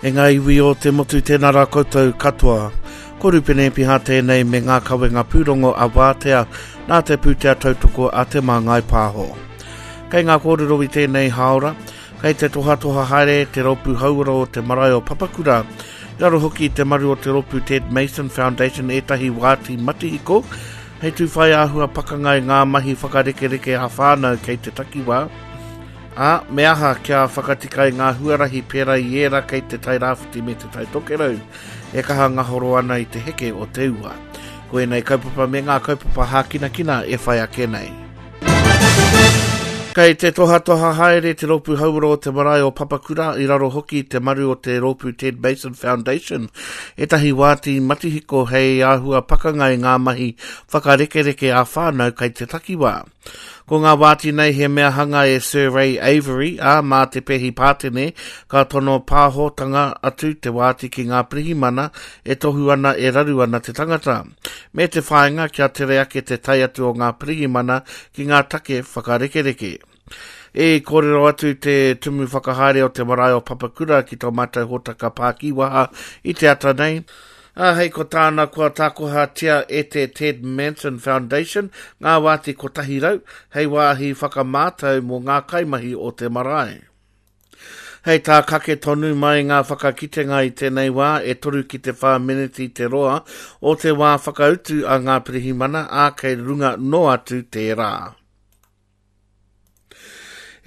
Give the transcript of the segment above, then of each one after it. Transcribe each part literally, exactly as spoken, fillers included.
E ngā iwi o te motu tēnā rā koutou katoa. Ko Rupene Epiha tēnei me ngā kawenga pūrongo a Wātea nā te pūtea tautoko a Te Māngai Pāho. Kei ngā kōrero i tēnei hāora, kei te tohatoha haere te rōpū hauora o te marae o Papakura, i raro hoki i te maru o te rōpū Ted Mason Foundation ētahi wāti matihiko, hei tūwhai āhua pakanga i ngā mahi whakarekereke a whānau kei te takiwā, ā, me aha kia whakatika i ngā huarahi pērā i ērā kei te Tairāwhiti me te Taitokerau e kaha ngahoro ana i te heke o te ua. Ko ēnei kaupapa me ngā kaupapa hākinakina e whai ake nei. Kei te tohatoha haere te rōpū hauora o te marae o Papakura i raro hoki i te maru o te rōpū Ted Mason Foundation ētahi wāti matihiko hei āhua pakanga i ngā mahi whakarekereke a whānau kei te takiwā. Ko ngā wāti nei he mea hanga e Sir Ray Avery, ā, mā te Pehi Pātene, ka tono pāhotanga atu te wāti ki ngā pirihimana e tohu ana e raru ana te tangata, me te whāinga kia tere ake te tae atu o ngā pirihimana ki ngā take whakarekereke. E kōrero atu te tumu whakahaere o te marae o Papakura ki tō mātou hōtaka pākiwaha i te ata nei, Ā, hei ko tāna kua tākohatia e te Ted Manson Foundation ngā wāti kotahi rau hei wāhi whakamātau mō ngā kaimahi o te marae. Hei tā kake tonu mai ngā whakakitenga i tēnei wā e toru ki te whā meneti te roa o te wā whakautu a ngā pirihimana, ā, kei runga noa atu tērā.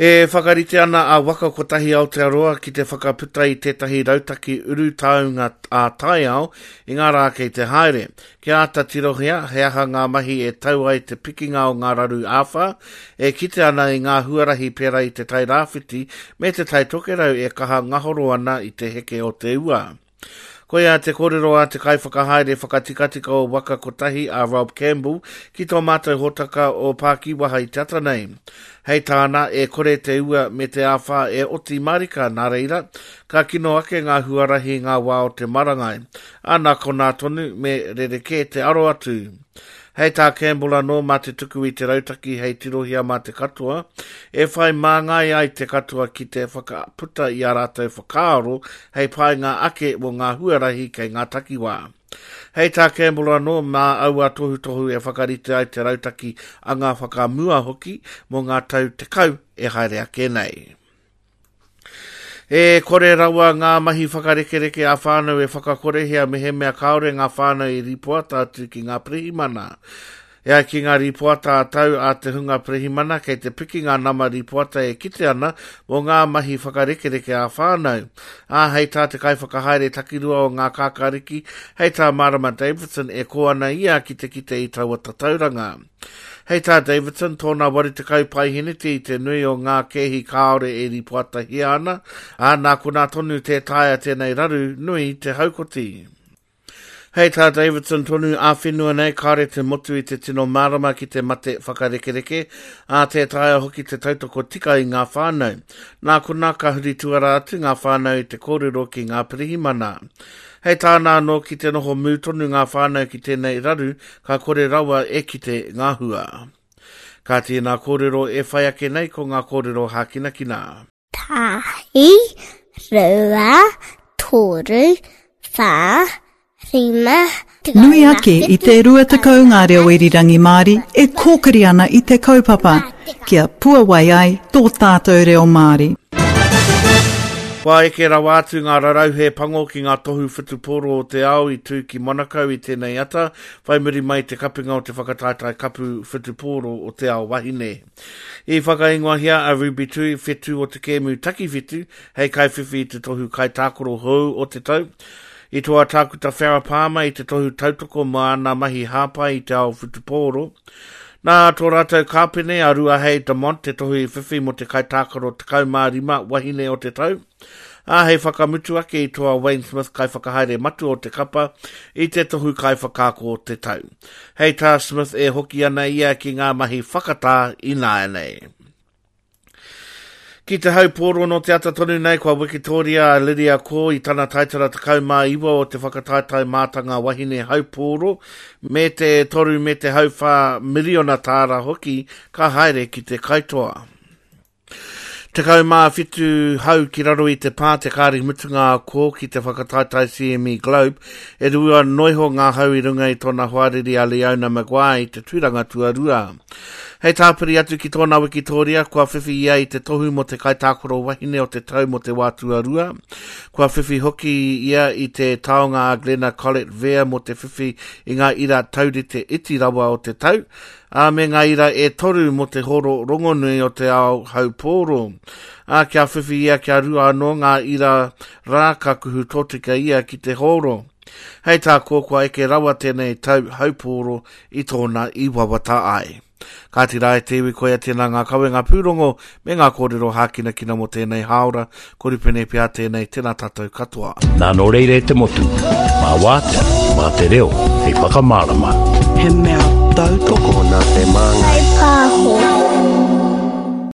E whakarite ana a Waka Kotahi Aotearoa ki te whakaputa i tētahi rautaki urutaunga ā-taiao i ngā rā kei te haere. Kia āta tirohia he aha ngā mahi e tau ai te pikinga o ngā raru āwhā, e kite ana i ngā huarahi pērā i te Tairāwhiti me te Taitokerau e kaha ngahoro ana i te heke o te ua. Koia te kōrero a te kaiwhakahaere whakatikatika o Waka Kotahi a Rob Campbell ki tō mātou hōtaka o Pākiwaha i te ata nei. Hei tāna, e kore te ua me te āwhā e oti marika nā reira, ka kino ake ngā huarahi ngā wā o te marangai. Ā, nā konā tonu me rerekē te aro atu. Hei tā Campbell anō mā te tuku i te rautaki hei tirohia mā te katoa, e whai māngai ai te katoa ki te whakaputa i a rātou whakaaro hei painga ake mō ngā huarahi kei ngā takiwā. Hei tā Campbell anō mā aua tohutohu e whakarite ai te rautaki a ngā whakamua hoki mō ngā tau tekau e haere ake nei. E kore rawa ngā mahi whakarekereke a whānau e whakakorehia mehemea kāore ngā whānau i rīpoata atu ki ngā pirihimana. E ai ki ngā rīpoata a tau a te hunga pirihimana kei te piki ngā nama rīpoata e kite ana mō ngā mahi whakarekereke a whānau. Ā, hei tā te kaiwhakahaere takirua o ngā kākāriki, hei tā Marama Davidson e kō ana ia ki te kite i taua tatauranga. Hei tā Davidson, tōna waru tekau paiheneti i te nui o ngā kēhi kāore e rīpoatahia ana, ā, nā konā tonu tē taea tēnei raru nui te haukoti. Hei tā Davidson tonu ā-whenua nei, kāore te motu i te tino mārama ki te mate whakarekereke, ā, tē taea hoki te tautoko tika i ngā whānau. Nā konā ka huri tuara atu ngā whānau i te kōrero ki ngā pirihimana. Hei tāna anō ki te noho mū tonu ngā whānau ki tēnei raru, ka kore rawa e kite ngā hua. Ka tēnā kōrero e whai ake nei ko ngā kōrero hākinakina. Tahi, rua, toru, whā, rima, Nui ake i te rua tekau ngā reo irirangi Māori e kōkiri ana i te kaupapa, kia puawai ai tō tātou reo Māori. Kua eke rawa atu ngā rarauhe pango ki ngā tohu whutupōro o te ao i tū ki Monaco i tēnei ata, whai muri mai te kapinga o te whakataetae kapu whutupōro o te ao wahine. I whakaingoahia a Ruby Tui whetū o te kēmu takiwhitu hei kaiwhiwhi i te tohu kaitākaro hou o te tau. I toa tākuta Farah Palmer i te tohu tautoko mā ana mahi hāpai i te ao whutupōro. Nā tō rātou kāpene a Ruahei Demont te tohu i whiwhi mō te kaitākaro tekau mā rima wahine o te tau. Ā, hei whakamutu ake i toa Wayne Smith kaiwhakahaere matua o te kapa i te tohu kaiwhakaako o te tau. Hei tā Smith e hoki ana ia ki ngā mahi whakatā ināianei. Ki te haupōro no te ata tonu nei kua wikitoria a Lydia Ko i tana taitara tekau mā iwa o te whakataetae mātanga wahine haupōro me te toru me te hauwhā miriona tāra hoki ka haere ki te kaitoa. Tekau mā whitu hau ki raro i te pā te kāri mutunga a kō ki te whakataetae C M E Globe, e rua noiho ngā hau i runga i tōna hoariri a Leona Maguire i te tūranga tuarua. Hei tāpiri atu ki tōna wikitoria, kua whiwhi ia i te tohu mō te kaitākaro wahine o te tau mō te wā tuarua. Kua whiwhi hoki ia i te taonga a Glenna Collett Vea mō te whiwhi i ngā ira taurite iti rawa o te tau, ā me ngā ira e toru mō te horo rongonui o te ao haupōro. Ā, kia whiwhi ia kia rua anō ngā ira rā ka kuhu tōtika ia ki te horo. Hei tā kō kua eke rawa tēnei tau haupōro i tōna i wawata ai. Kāti rā e te iwi koia tēnā ngā kawenga pūrongo me ngā kōrero hākinakina mō tēnei hāora, ko Rupene Pea tēnei, tēnā tātou katoa. Nā nō reira e te motu, mā wātea, mā te reo, hei whakamārama. He mea tautoko Tokona te māngai. Pāho.